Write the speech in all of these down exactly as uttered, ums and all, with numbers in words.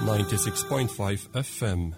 ninety-six point five F M.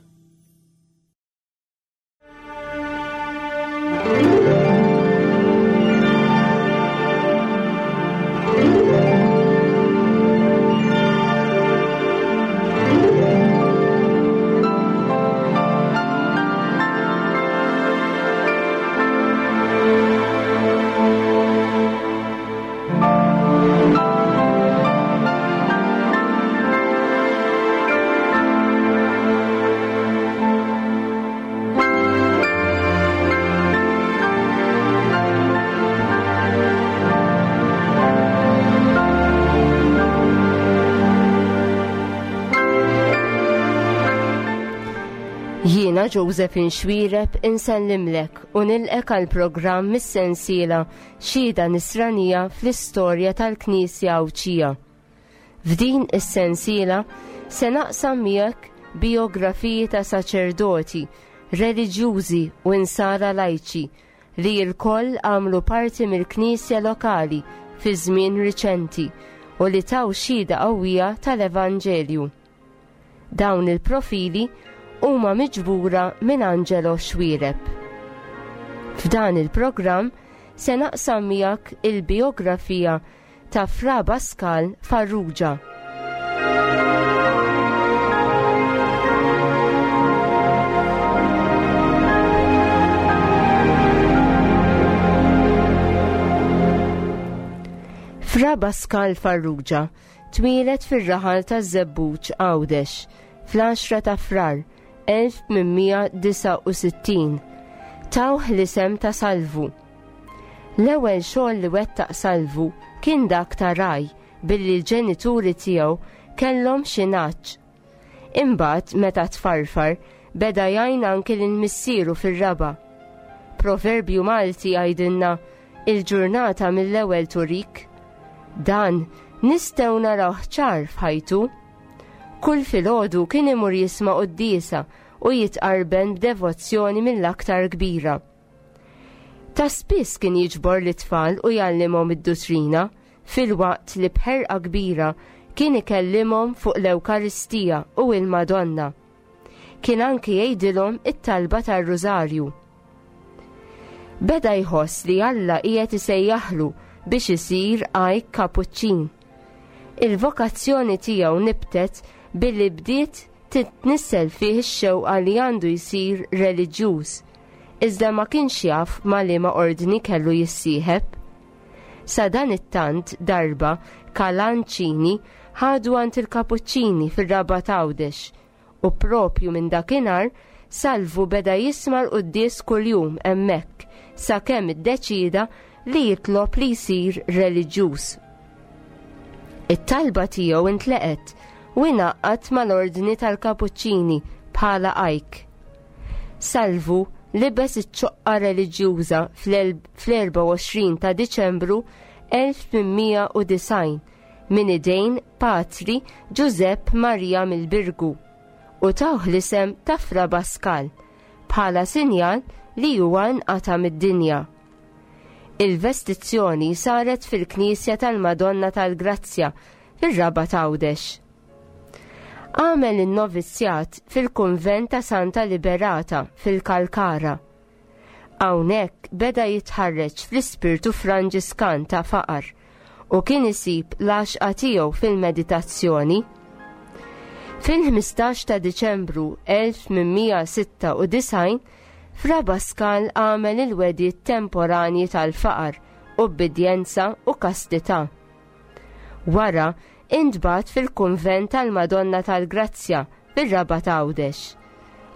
Jiena Josephine Xuereb insellimlek u nilqek għal programm mis-sensiela Xhieda Nisranija fl-istorja tal-Knisja Għawdxija. F'din is-sensiela se naqsam miegħek biografiji ta' saċerdoti, reliġjużi u insara lajċi li lkoll għamlu parti mill-Knisja lokali fi żmien riċenti u li taw xhieda qawwija tal-Evanġelju. Dawn il-profili huma miġbura minn Angelo Xuereb. F'dan il-programm se naqsam miegħek il-biografija ta' Fra Baskal Farrugia. Fra Baskal Farrugia twieled fir-raħal ta' Żebbuġ Għawdex fl-għaxra ta' Frar elf tmien disa' u sittin. Tawh l-isem ta' Salvu. L-ewwel xogħol li wettaq Salvu kien dak ta' raj billi l-ġenituri tiegħu kellhom xi nagħaġ. Imbagħad meta tfarfar beda jgħin anki lil missieru fir-raba'. Proverbju Malti jgħidilna il-ġurnata mill-ewwel turik. Dan nistgħu narawh ċar f'ħajtu. Kull filgħodu kien imur jisma' quddiesa u jitqarben b'devozzjoni mill-aktar kbira. Ta' spiss kien jiġbor l-itfal u jgħallimhom id-duttrina, filwaqt li b'ħerqa kbira kien ikellimhom fuq l-Ewkaristija u l-Madonna. Kien anki jgħidilhom it-talba tar-Rużarju. Beda jħoss li Alla qiegħed isejjaħlu biex isir għajk kapuċċin. Il-vokazzjoni tiegħu nibtet billi bdiet titnissel fih ix-xewqa li għandu jsir reliġjuż, iżda ma kienx jaf ma liema ordni kellu jissieħeb. Sa dan it-tant darba Kalanċini ħadu għand il-Kapuċċini fir-Rabat Għawdex u propju minn dakinhar Salvu beda jisma' l-quddies kuljum hemmhekk sakemm iddeċieda li jitlob li jsir reliġjuż. It-talba tiegħu intleqet u ingħaqad mal-ordni tal-Kapuċċini bħala għajk. Salvu libes iċ-ċoqqa reliġjuża fl-erba' u għoxrin ta' Diċembru elf tmien u disgħin minn idejn Patri Giuseppe Maria mill-Birgu u tawh l-isem ta' Fra Baskal bħala sinjal li huwa nqata' mid-dinja. Il-vestizzjoni saret fil-Knisja tal-Madonna tal-Grazzja fir-Rabat Għawdex. Għamel in-novizzjat fil-Kunvent ta' Santa Liberata fil-Kalkara. Hawnhekk beda jitħarreġ fl-ispirtu Franġiskan ta' faqar u kien isib l-għaxqa tiegħu fil-meditazzjoni. Fil-ħmistax ta' Diċembru elf tmien sitta u disgħin, Fra Baskal għamel il-wegħdiet temporanji tal-faqar, ubbidjenza u kastità. Wara intbagħat fil-Kunvent tal-Madonna tal-Grazzja fir-Rabat Għawdex.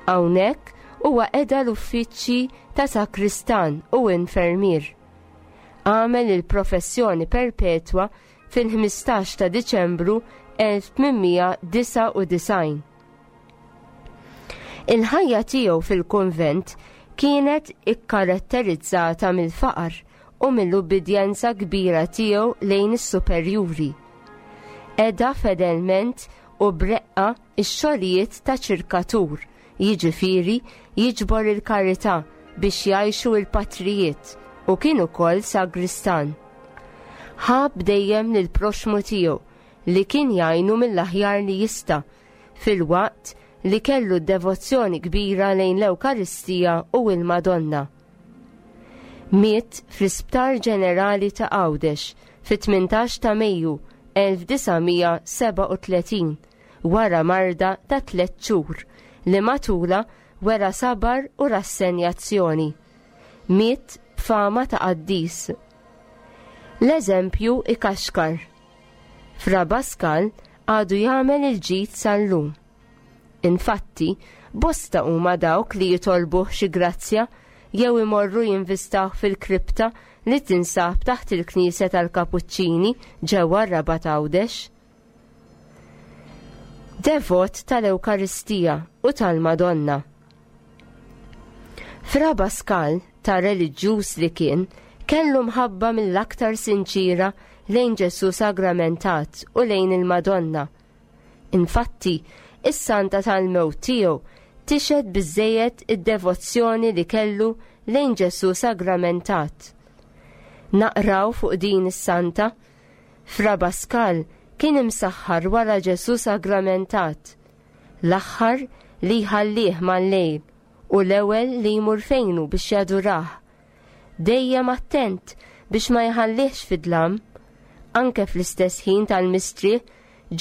Hawnhekk huwa qeda l-uffiċċji ta' sakristan u infermier. Għamel il-professjoni perpetwa fil-ħmistax ta' Diċembru elf tmien disa' u disgħin. Il-ħajja tiegħu fil-kunvent kienet ikkaratterizzata mill-faqar u mill-ubbidjenza kbira tiegħu lejn is-superjuri. Qeda fedelment u breqqa x-xogħlijiet ta' ċirkatur, jiġifieri jiġbor il-karità biex jgħixu l-patrijiet u kien ukoll sagristan. Ħab dejjem lill-proxmu tiegħu li kien jgħinu mill-aħjar li jista' filwaqt li kellu devozzjoni kbira lejn l-Ewkaristija u l-Madonna. Miet fl-Isptar Ġenerali ta' Għawdex fit-tmintax ta' Mejju elf disa' mija sebgħa u tletin wara marda ta' tliet xhur li matula wera sabar u rassenjazzjoni. Miet b'fama ta' qaddis. L-eżempju ikaxkar. Fra Baskal għadu jagħmel il-ġid sal-lum. Infatti, bosta huma dawk li jitolbuh xi grazzja jew imorru jinvistaw fil-kripta li tinsab taħt il-Knisja tal-Kapuċċini ġewwa r-Rabat Għawdex. Devot tal-Ewkaristija u tal-Madonna. Fra Baskal, ta' reliġjuż li kien, kellu mħabba mill-aktar sinċira lejn Ġesu sagramentat u lejn il-Madonna. Infatti, is-santa tal-mewt tiegħu tixhed biżżejjed id-devozzjoni li kellu lejn Ġesu sagramentat. Naqraw fuq din is-santa, Fra Baskal kien imsaħħar wara Ġesu sagramentat, l-aħħar li jħallih mal-lejl u l-ewwel li jmur fejnu biex jadurah. Dejjem attent biex ma jħallihx fid-dlam. Anke fl-istess ħin tal-mistrieħ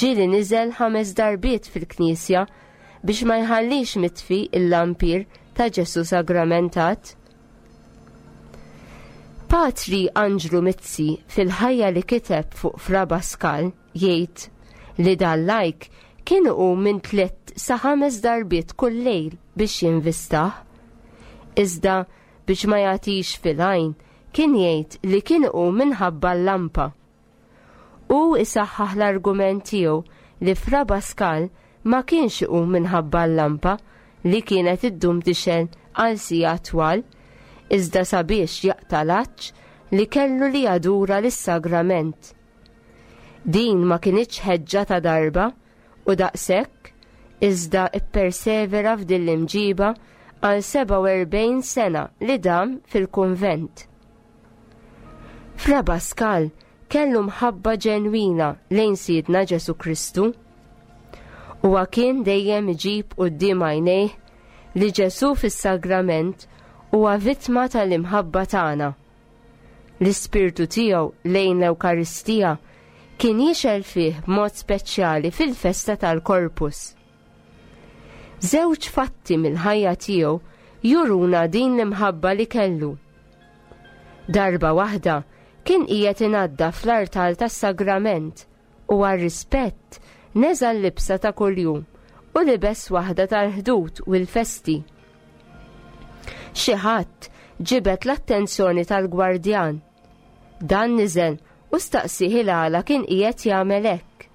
ġieli niżel ħames darbiet fil-knisja biex ma jħallix mitfi il-lampir ta' Ġesu sagramentat. Patri Anġlu Mizzi fil-ħajja li kiteb fuq Fra Baskal jgħid li dal-lajk kien hu minn tliet sa ħames darbiet kull lejl biex jinvistah. Iżda biex ma jagħtix fil-għajn kien jgħid li kien hu minħabba l-lampa. U isaħħaħ l-argument tiegħu li Fra Baskal ma kienx hu minħabba l-lampa li kienet iddum tixgħel għal sigħat twal, iżda sabiex jaqta' l-għatx li kellu li jadura lis-sagrament. Din ma kinitx ħeġġa ta' darba u daqshekk, iżda ippersevera f'din l-imġiba għal sebgħa u erbgħin sena li dam fil-kunvent. Fra Baskal kellu mħabba ġenwina lejn Sidna Ġesu Kristu. Huwa kien dejjem iġib quddiem għajnejh li Ġesu fis-sagrament huwa vittma tal-imħabba tagħna. L-ispirtu tiegħu lejn l-Ewkaristija kien jixgħel fih b'mod speċjali fil-festa tal-Korpus. Żewġ fatti mill-ħajja tiegħu juruna din l-imħabba li kellu. Darba waħda kien qiegħed inaddaf l-artal tas-sagrament u għar-rispett neża' l-libsa ta' kuljum u libes waħda tal-ħdud u l-festi. Xi ħadd ġibed l-attenzjoni tal-gwardjan. Dan niżel u staqsih il-għala kien qiegħed jagħmel hekk.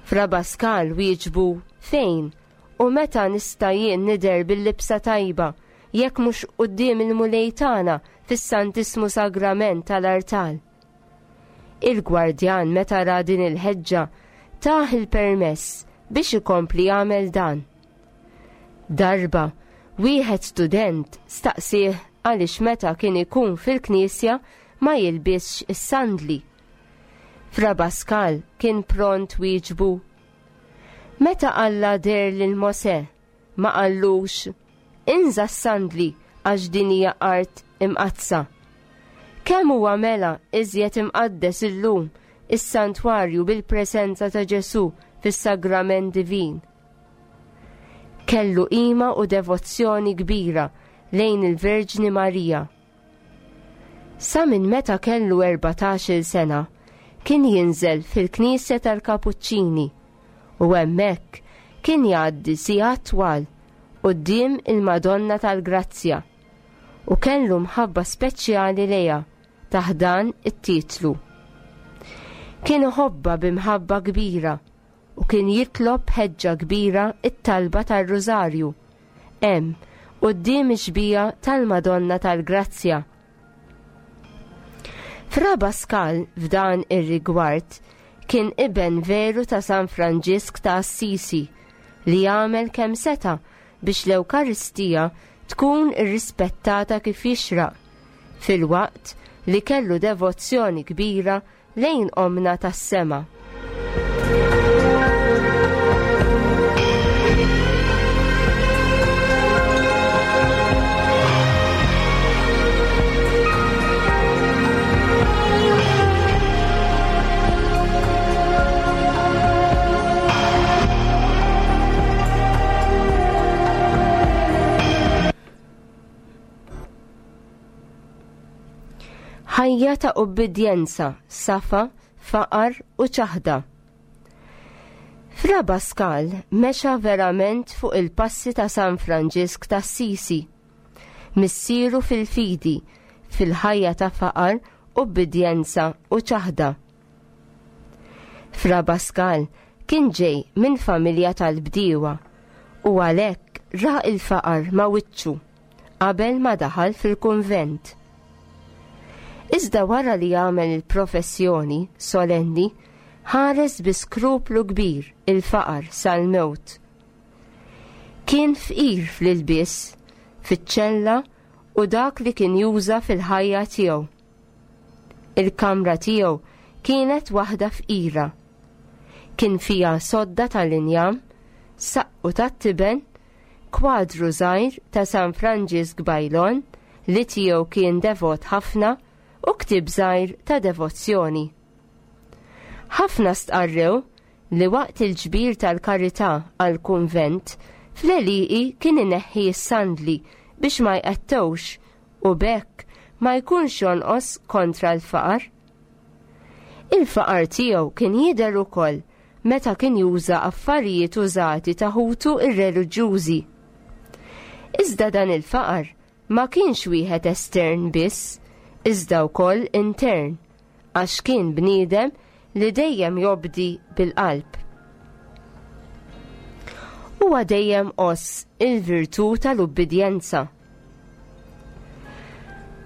Fra Baskal wieġbu fejn u meta nista' jien nidher bil-libsa tajba jekk mhux quddiem il-Mulej tagħna fis-Santismu Sagrament tal-artal. Il-gwardjan meta ra din il-ħeġġa tah il-permess biex ikompli jagħmel dan. Darba, wieħed student staqsih għaliex meta kien ikun fil-knisja ma jilbisx is-sandli. Fra Baskal kien pront wieġbu. Meta Alla deher lil Mosè, ma qallux, inża s-sandli għax din hija art imqaddsa. Kemm huwa mela iżjed imqaddes illum is-santwarju bil-preżenza ta' Ġesù fis-sagrament divin. Kellu qima u devozzjoni kbira lejn il-Verġni Marija. Sa minn meta kellu erbatax-il sena kien jinżel fil-Knisja tal-Kapuċċini u hemmhekk kien jgħaddi sigħat twal quddiem il-Madonna tal-Grazzja u kellu mħabba speċjali lejha taħt dan it-titlu. Kien iħobbha b'imħabba kbira u kien jitlob ħeġġa kbira it-talba tar-Rużarju hemm quddiem ix-xbieha tal-Madonna tal-Grazzja. Fra Baskal f'dan ir-rigward kien iben veru ta' San Franġisk ta' Assisi li għamel kemm seta' biex l-Ewkaristija tkun irrispettata kif jixraq, filwaqt li kellu devozzjoni kbira lejn Omna tas-Sema. Ħajja ta' ubbidjenza, safa, faqar u ċaħda. Fra Pascal mexa verament fuq il-passi ta' San Franġisk ta' Sisi, missieru fil-fidi, fil-ħajja ta' faqar, ubbidjenza u ċaħda. Fra Pascal kien ġej minn familja tal-bdiewa u għalhekk ra il-faqar ma' wiċċu qabel ma daħal fil-kunvent. Iżda wara li għamel il-professjoni solenni, ħares bi skruplu kbir il-faqar sal-mewt. Kien fqir fl-ilbies, fiċ-ċella u dak li kien juża fil-ħajja tiegħu. Il-kamra tiegħu kienet waħda fqira. Kien fiha sodda tal-injam, saqqu tat-tiben, kwadru żgħir ta' San Franġisk Bajlon li tiegħu kien devot ħafna u ktieb żgħir ta' devozzjoni. Ħafna stqarrew li waqt il-ġbir tal-karità għall-kunvent fl-għelieqi kien ineħħi s-sandli biex ma jqattewx u b'hekk ma jkunx jonqos kontra l-faqar. Il-faqar tiegħu kien jidher ukoll meta kien juża affarijiet użati ta' ħutu ir-reliġjużi. Iżda dan il-faqar ma kienx wieħed estern biss, iżda wkoll intern, għax kien bniedem li dejjem jobdi bil-qalb. Huwa dejjem għożż il-virtù tal-ubbidjenza.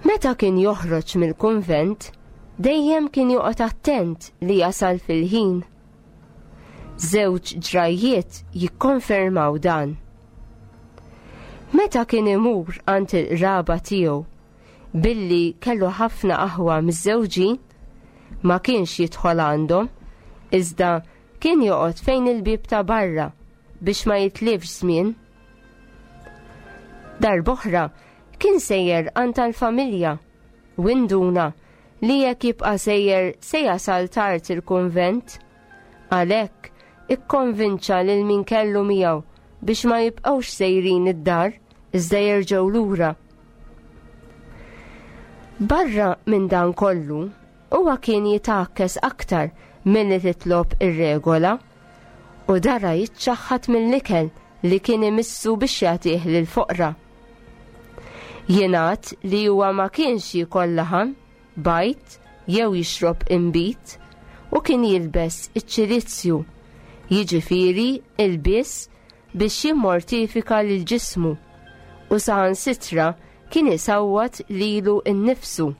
Meta kien joħroġ mill-kunvent, dejjem kien joqgħod attent li jasal fil-ħin. Żewġ ġrajjiet jikkonfermaw dan. Meta kien imur għand il-qraba tiegħu, billi kellu ħafna aħwa miżżewġin, ma kienx jidħol għandhom, iżda kien joqgħod fejn il-bieb ta' barra biex ma jitlifx żmien. Darb'oħra kien sejjer għand tal-familja u induna li jekk jibqa' sejjer se jasal tard il-kunvent. Għalhekk ikkonvinċa lil min kellu miegħu biex ma jibqgħux sejrin id-dar iżda jerġgħu lura. Barra minn dan kollu, huwa kien jitgħakkes aktar milli titlob ir-regola u dara jiċċaħħad mill-ikel li kien imissu biex jagħtih lill-foqra. Jingħad li huwa ma kienx jiekol laħam, bajd jew jixrob inbid u kien jilbes iċ-ċilizzju, jiġifieri ilbies biex jimmortifika lil ġismu u saħansitra kien isawwat lilu nnifsu.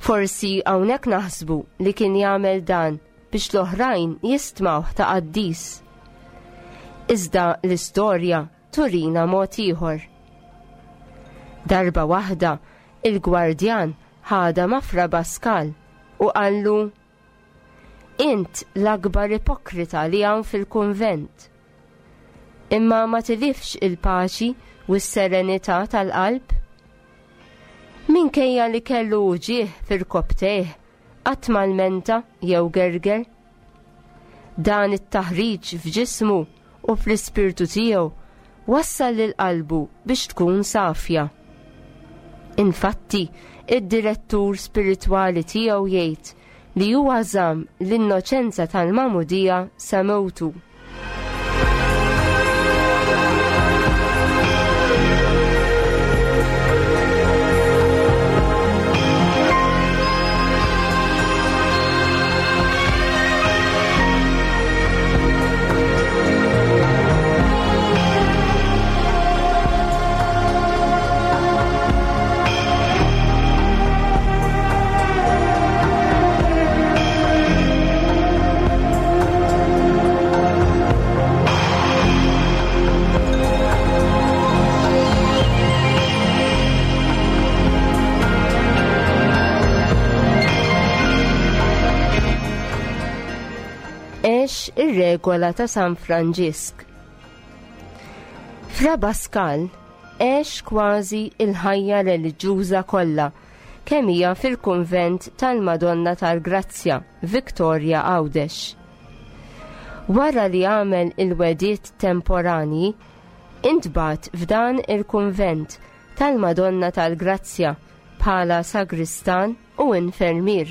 Forsi hawnhekk naħsbu li kien jagħmel dan biex l-oħrajn jistmawh ta' qaddis. Iżda l-istorja turina mod ieħor. Darba waħda il-gwardjan ħadha ma' Fra Pascal u qallu: Int l-akbar ipokrita li hawn fil-kunvent. Imma ma tilifx il-paċi u s-serenità tal-qalb? Minkejja li kellu uġigħ fil-koptejh, qatt ma lmenta jew gerger. Dan it-taħriġ f'ġismu u fl-ispirtu tiegħu wassal lil qalbu biex tkun safja. Infatti, id-direttur spiritwali tiegħu jgħid li huwa żamm l-innoċenza tal-magħmudija sa mewtu. Għex ir-regola ta' San Franġisk. Fra Pascal għex kważi il-ħajja reliġjuża kollha kemm hija fil-kunvent tal-Madonna tal-Grazzja, Victoria Għawdex. Wara li għamel il-wediet temporani, intbagħat f'dan il-kunvent tal-Madonna tal-Grazzja bħala sagristan u infermier.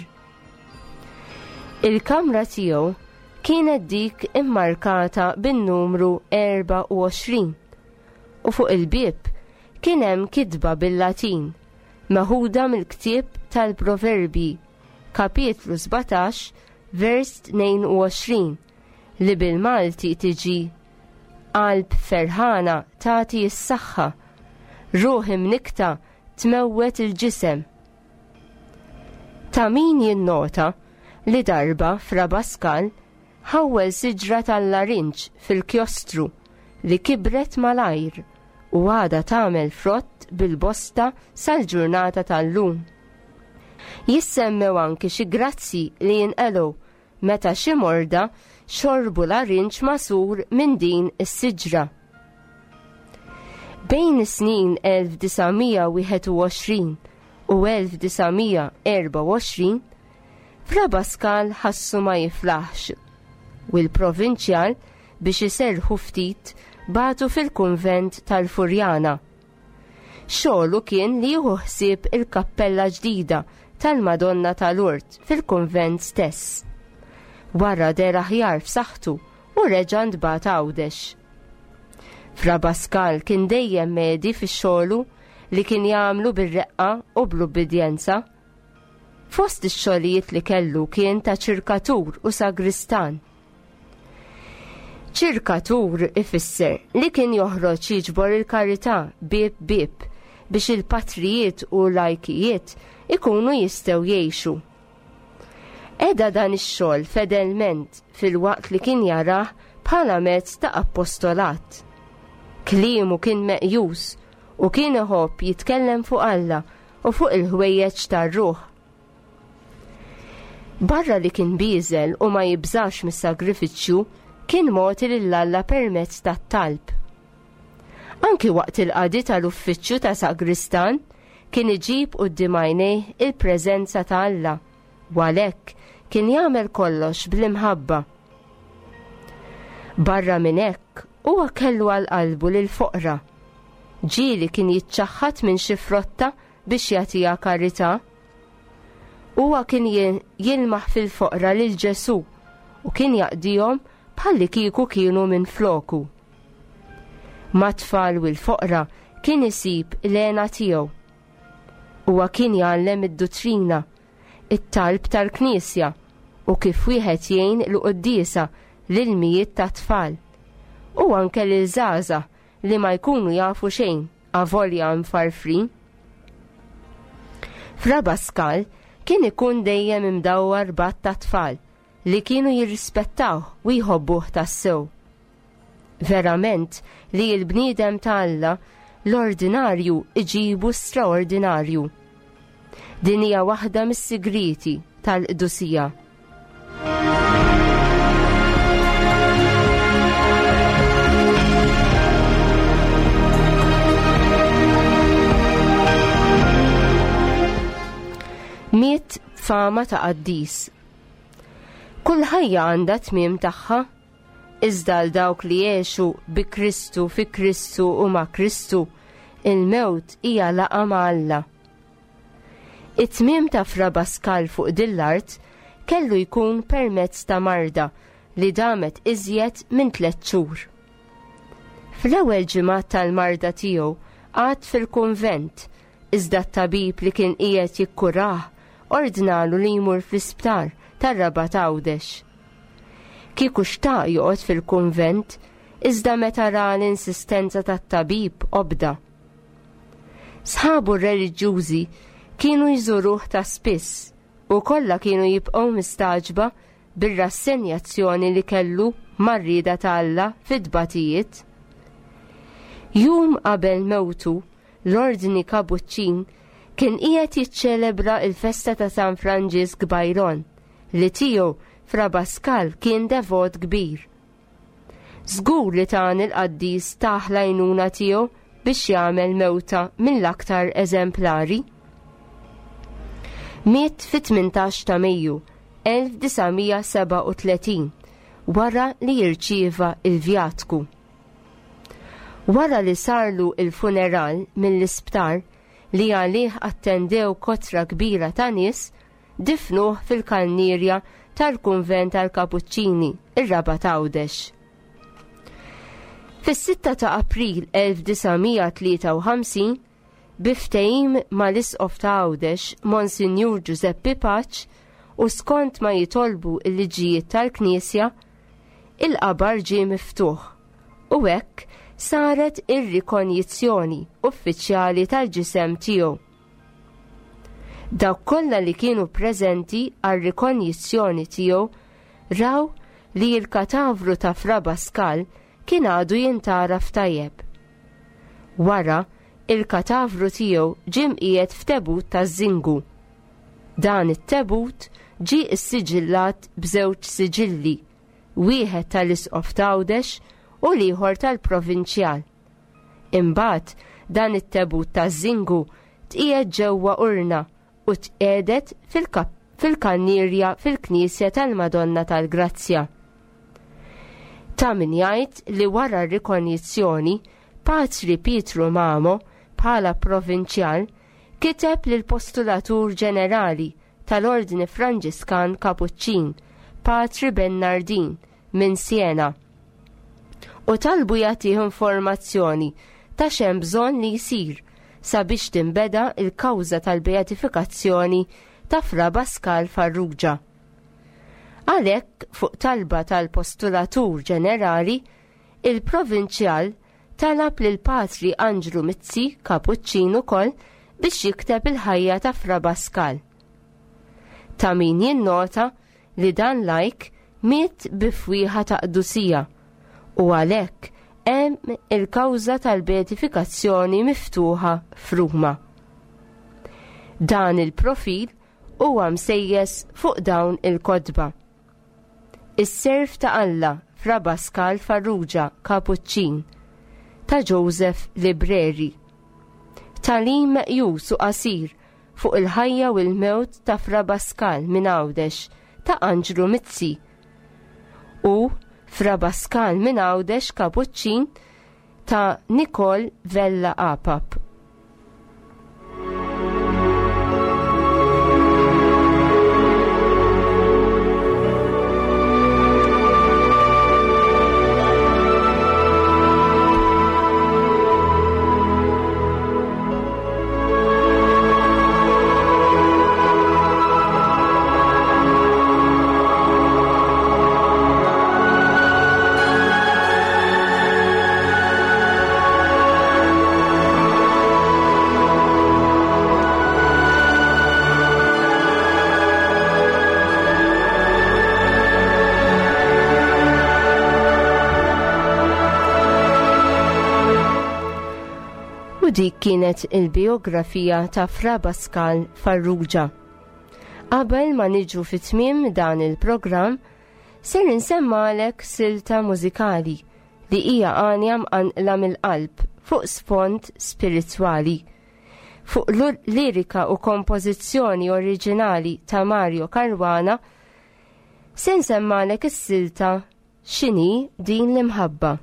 Il-kamra tiegħu kienet dik immarkata bin-numru erbgħa u għoxrin u fuq il-bieb kien hemm kitba bil-Latin meħuda mill-ktieb tal-Proverbji, kapitlu sbatax, vers tnejn u għoxrin, li bil-Malti tiġi qalb ferħana tagħti s-saħħa, ruħ imnikta tmewwet il-ġisem. Ta' min jinnota li darba Fra Pascal ħawwel siġra tal-larinġ fil-kjostru li kibret malajr u għada tagħmel frott bil-bosta sal-ġurnata tal-lum. Jissemmew anki xi grazzi li jinqelgħu meta xi morda xorbu larinġ masur minn din is-siġra. Bejn is-snin elf disa' mija wieħed u għoxrin u elf disa' mija erba' u għoxrin, Fra Pascal ħassu ma jiflaħx u l-provinċjal biex iserrħu ftit bagħtu fil-kunvent tal-Furjana. Xogħlu kien li jieħu ħsieb il-kappella ġdida tal-Madonna tal-Urt fil-kunvent stess. Wara der aħjar f'saħħtu u reġa' ntbagħat Għawdex. Fra Pascal kien dejjem medi fix-xogħlu li kien jagħmlu bir-reqqa u bl-ubbidjenza. Fost ix-xogħlijiet li kellu kien ta' ċirkatur u sagristan. Ċirkatur ifisser li kien joħroġ jiġbor il-karità bieb bieb biex il-patrijiet u lajkijiet ikunu jistgħu jgħixu. Eda dan ix-xogħol fedelment filwaqt li kien jarah bħala mezz ta' appostolat. Kliemu kien meqjus u kien iħobb jitkellem fuq Alla u fuq il-ħwejjeġ tar-ruħ. Barra li kien bieżel u ma jibżax mis-sagrifiċċju, kien mogħti lil Alla permezz tat-talb. Anki waqt il-qadi tal-uffiċċju ta' sagristan kien iġib quddiem għajnejh il-preżenza ta' Alla, u għalhekk kien jagħmel kollox bl-imħabba. Barra minn hekk, huwa kellu għal qalbu lil foqra. Ġieli kien jiċċaħħad minn xi frotta biex jagħtiha karità. Huwa kien jil-, jilmaħ fil-foqra lil Ġesù u kien jaqdihom bħalli kieku kienu minn floku. Mat-tfal u l-foqra kien isib l-għena tiegħu. Huwa kien jgħallem id-duttrina, it-talb tal-Knisja u kif wieħed jgħin l-quddiesa lil mijiet ta' tfal u anke lil żgħażagħ li ma jkunu jafu xejn avolja mfarfrin. Fra Pascal kien ikun dejjem imdawwar b'għadd ta' tfal li kienu jirrispettawh u jħobbuh tassew. Verament li l-bniedem ta' Alla l-ordinarju iġibu straordinarju. Din hija waħda mis-sigrieti tal-qdusija. Miet fama ta' qaddis. Kull ħajja għandha tmiem tagħha, iżda għal dawk li jgħixu bi Kristu, fi Kristu u ma' Kristu, il-mewt hija laqgħa ma' Alla. It-tmiem ta' Fra Pascal fuq din l-art kellu jkun permezz ta' marda li damet iżjed minn tliet xhur. Fl-ewwel ġimgħat tal-marda tiegħu qagħad fil-kunvent, iżda t-tabib li kien qiegħed jikkurah ordnalu li jmur fl-isptar tar-Rabat Għawdex. Kieku xtaq joqgħod fil-kunvent, iżda meta ra l-insistenza tat-tabib obda. Sħabu r-reliġjużi kienu jżuruh ta' spiss u kollha kienu jibqgħu mistagħġba bir-rassenjazzjoni li kellu mar-rieda ta' Alla fit-tbatijiet. Jum qabel mewtu, l-Ordni Kapuċċin kien qiegħed jiċċelebra l-festa ta' San Franġisk Bajron, li tiegħu Fra Pascal kien devot kbir. Żgur li dan il-qaddis tah l-għajnuna tiegħu biex jagħmel mewta mill-aktar eżemplari. Miet fit-tmintax ta' Mejju elf disa' mija seba' u tletin wara li jirċieva il-vjatku. Wara li sarlu il-funeral mill-isptar, li għalih attendew kotra kbira ta' nies, difnuh fil-kannierja tal-kunvent tal-Kapuċċini, ir-Rabat Għawdex. Fis-sitta ta' April elf disa' mija tlieta u ħamsin, bi ftehim mal-Isqof ta' Għawdex, Monsinjur Giuseppe Pace, u skont ma jitolbu l-liġijiet tal-Knisja, il-qabar ġie miftuħ u hekk saret ir-rikonjizzjoni uffiċjali tal-ġisem tiegħu. Dawk kollha li kienu preżenti għar-rikonjizzjoni tiegħu raw li l-katavru ta' Fra Pascal kien għadu jintaraf tajjeb. Wara, il-katavru tiegħu ġie mqiegħed f'tebut taż-żingu. Dan it-tebut ġie issiġillat b'żewġ siġilli, wieħed tal-Isqof t'Għawdex u l-ieħor tal-Provinċjal. Imbagħad dan it-tebut taż-żingu tqiegħed ġewwa urna u tqiegħdet fil-kap-, fil-kannierja fil-Knisja tal-Madonna tal-Grazzja. Ta' min jgħid li wara r-rikonjizzjoni, Patri Pietru Mamo bħala provinċjal kiteb lil postulatur ġenerali tal-Ordni Franġiskan Kapuċċin, Patri Bernardin minn Siena, u talbu jagħtih informazzjoni ta' x'hemm bżonn li jsir sabiex tinbeda l-kawża tal-beatifikazzjoni ta' Fra Pascal Farrugia. Għalhekk, fuq talba tal-postulatur ġenerali, il-provinċjal talab lil Patri Anġlu Mizzi Kapuċċin ukoll biex jikteb il-ħajja ta' Fra Pascal. Ta' min jinnota li dan lajk miet bi fwieħa ta' qdusija u għalhekk hemm il-kawża tal-beatifikazzjoni miftuħa f'Ruma. Dan il-profil huwa msejjes fuq dawn il-kotba. Is-Serv ta' Alla Fra Pascal Farrugia Kapuċċin ta' Joseph Libreri. Tagħlim meqjus u qasir fuq il-ħajja u l-mewt ta' Fra Pascal minn Għawdex ta' Anġlu Mizzi u Fra Pascal minn Għawdex Kapuċċin ta' Nicole Vella Apap. Dik kienet il-biografija ta' Fra Pascal Farrugia. Qabel ma niġu fi tmiem dan il-programm, ser insemmalek silta mużikali li hija għanja mqanqla mill-qalb fuq sfond spiritwali. Fuq lirika u kompożizzjoni oriġinali ta' Mario Caruana, se nsemmalek is-silta X'inhi din l-imħabba.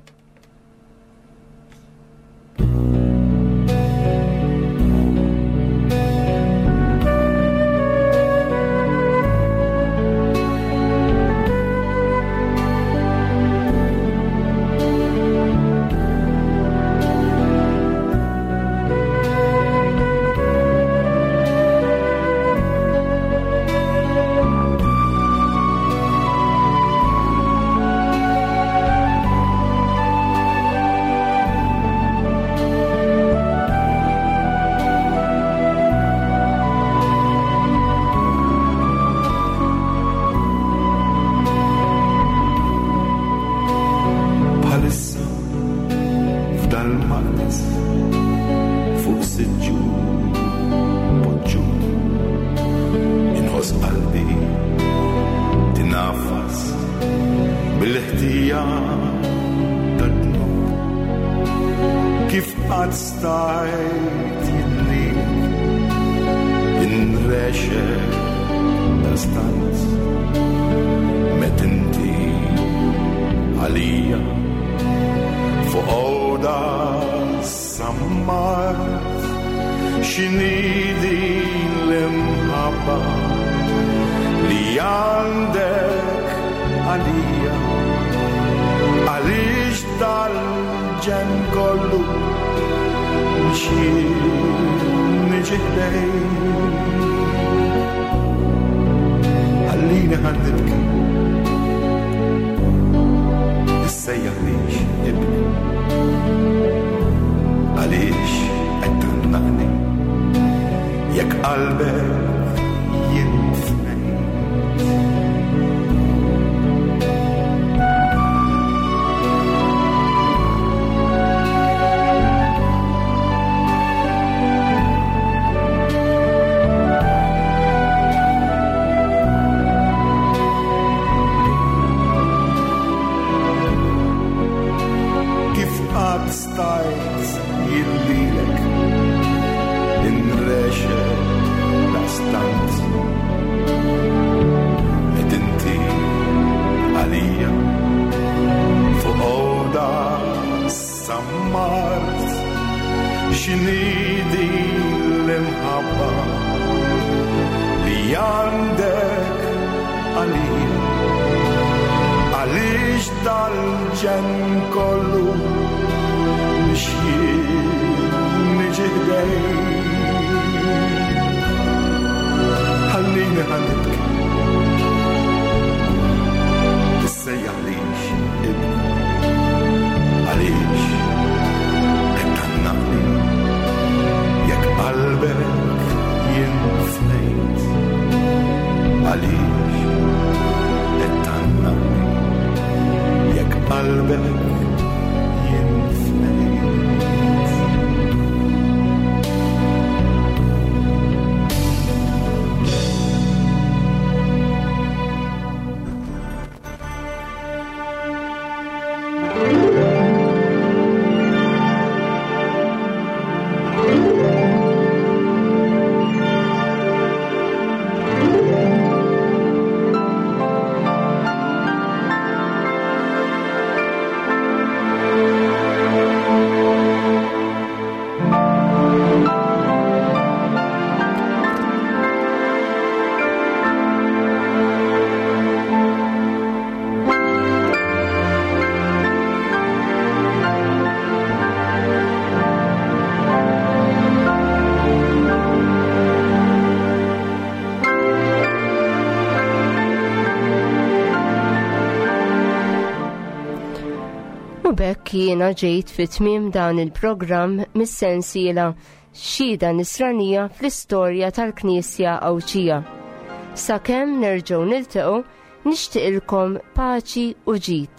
X'inhi din l-imħabba li għandek għalija? Għaliex dal-ġenn kollu biex jien niġi ħdejk? Ħallini ħa nibki, issejjaħlix ibni. Għaliex qed tgħannaqni jekk qalbek jien fnejt? Kif qatt stajt jien lilek inrexel daqstant, qed inti għalija fuq għoda sammart? X'inhi din l-imħabba li għandek għalija? Għaliex dal-ġenn kollu biex jien niġi ħdejk? Ħallini ħa nibki, issejjaħlix ibni. Għaliex qed tgħannaqni jekk qalbek jien fnejt? Għaliex qed tgħannaqni jekk qalbek jien fnejt? U b'hekk jiena ġejt fi tmiem dan il-programm mis-sensiela Xhieda Nisranija fl-istorja tal-Knisja Għawdxija. Sakemm nerġgħu niltaqgħu, nixtieqilkom paċi u ġid.